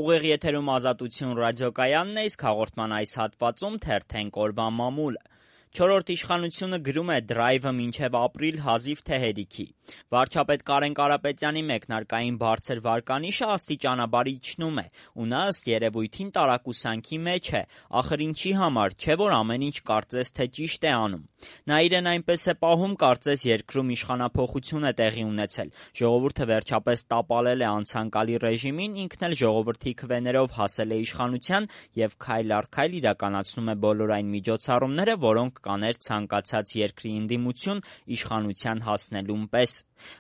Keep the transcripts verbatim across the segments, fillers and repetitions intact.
Ուղիղ եթերում Ազատություն ռադիոկայանն է, իսկ հաղորդման այս հատվածում թերթենք օրվա մամուլը։ Չորրորդ իշխանությունը գրում է դրայվը մինչև ապրիլ հազիվ թե հերիքի։ Վարչապետ Կարեն Կարապետյանի մեկնարկային բարձր վարկանիշը աստիճանաբար իջնում է, ու նա ըստ երևույթին տարակուսանքի մեջ է, ախր ինչի համար, չէ՞ որ ամեն ինչ կարծես թե ճիշտ է անում։ Նա իրեն այնպես է պահում, կարծես երկրում իշխանափոխություն է տեղի ունեցել, ժողովուրդը վերջապես տապալել է անցանկալի ռեժիմին, ինքն էլ ժողովրդի քվեներով հասել է իշխանության և քայլ առ քայլ իրականացնում է բոլոր այն միջոցառումները, որոնք կաներ ցանկացած երկրի ընդդիմություն իշխանության հասնելուն պես։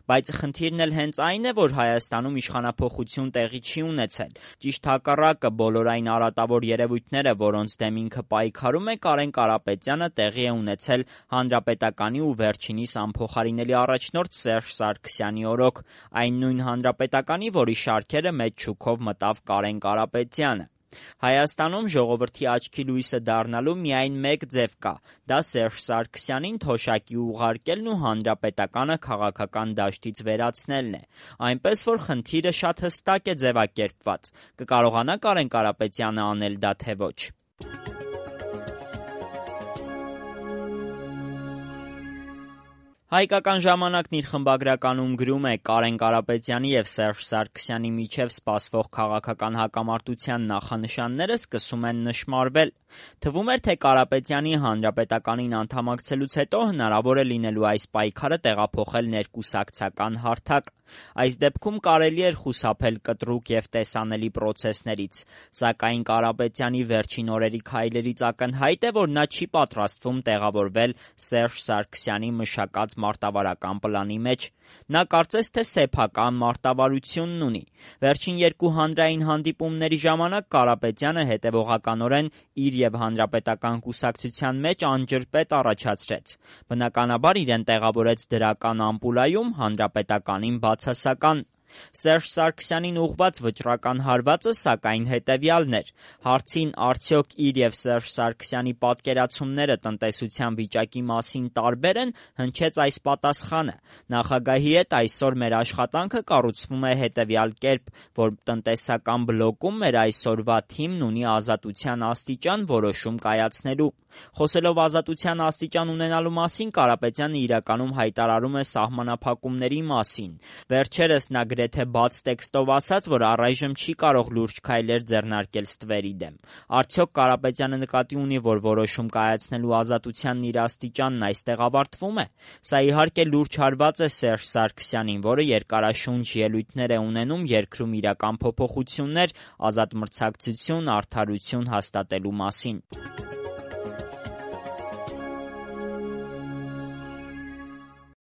Բայց խնդիրն էլ հենց այն է, որ Հայաստանում իշխանափոխություն տեղի չի ունեցել։ Ճիշտ հակառակը, բոլոր այն արատավոր երևույթները, որոնց դեմ ինքը պայքարում է, Կարեն Կարապետյանը տեղի է ունեցել Հանրապետականի ու վերջինիս անփոխարինելի առաջնորդ Սերժ Սարգսյանի օրոք, այն նույն Հանրապետականի, որի շարքերը մեծ շուքով մտավ Կարեն Կարապետյանը։ Հայաստանում ժողովրդի աչքի լույսը դառնալու միայն մեկ ձև կա, դա Սերժ Սարգսյանին թոշակի ուղարկելն ու հանրապետականը քաղաքական դաշտից վերացնելն է։ Այնպես որ խնդիրը շատ հստակ է ձևակերպված։ Կկարողանա Կարեն Կարապետյանը անել դա, թե ոչ։ Հայկական ժամանակն իր խմբագրականում գրում է. Կարեն Կարապետյանի և Սերժ Սարգսյանի միջև սպասվող քաղաքական հակամարտության նախանշանները սկսում են նշմարվել։ Թվում էր, թե Կարապետյանի Հանրապետականին անդամակցելուց հետո հնարավոր է լինելու այս պայքարը տեղափոխել ներկուսակցական հարթակ։ Այս դեպքում կարելի էր խուսափել կտրուկ և տեսանելի պրոցեսներից, սակայն Կարապետյանի վերջին օրերի քայլերից ակնհայտ է, որ նա չի պատրաստվում տեղավորվել Սերժ Սարգսյանի մշակած մարտավարական պլանի մեջ։ Նա կարծես թե սեփական մարտավարությունն ունի։ Վերջին երկու հանրային հանդիպումների ժամանակ Կարապետյանը հետևողականորեն իր և Հանրապետական կուսակցության մեջ անջրպետ առաջացրեց։ Բնականաբար իրեն տեղավորեց դրական ամպուլայում, Հանրապետականին բացասական։ Սերժ Սարգսյանին ուղղված վճռական հարվածը, սակայն, հետևյալն էր. հարցին արդյոք իր և Սերժ Սարգսյանի պատկերացումները տնտեսության վիճակի մասին տարբե՞ր են, հնչեց այս պատասխանը. նախագահի հետ այսօր մեր աշխատանքը կառուցվում է հետևյալ կերպ, որ տնտեսական բլոկում մեր այսօրվա թիմն ունի ազատության աստիճան որոշում կայացնելու։ Խոսելով ազատության աստիճան ունենալու մասին, Կարապետյանը իրականում հայտարարում է սահմանափակումների մասին։ Վերջերս նա գրեթե բաց տեքստով ասաց, որ առայժմ չի կարող լուրջ քայլեր ձեռնարկել ստվերի դեմ։ Արդյոք Կարապետյանը նկատի ունի, որ որոշում կայացնելու ազատությանն իր աստիճանն այստեղ ավարտվում է։ Սա իհարկե լուրջ հարված է Սերժ Սարգսյանին, որը երկարաշունչ ելույթներ է ունենում երկրում իրական փոփոխություններ, ազատ մրցակցություն, արդարություն հաստատելու մասին։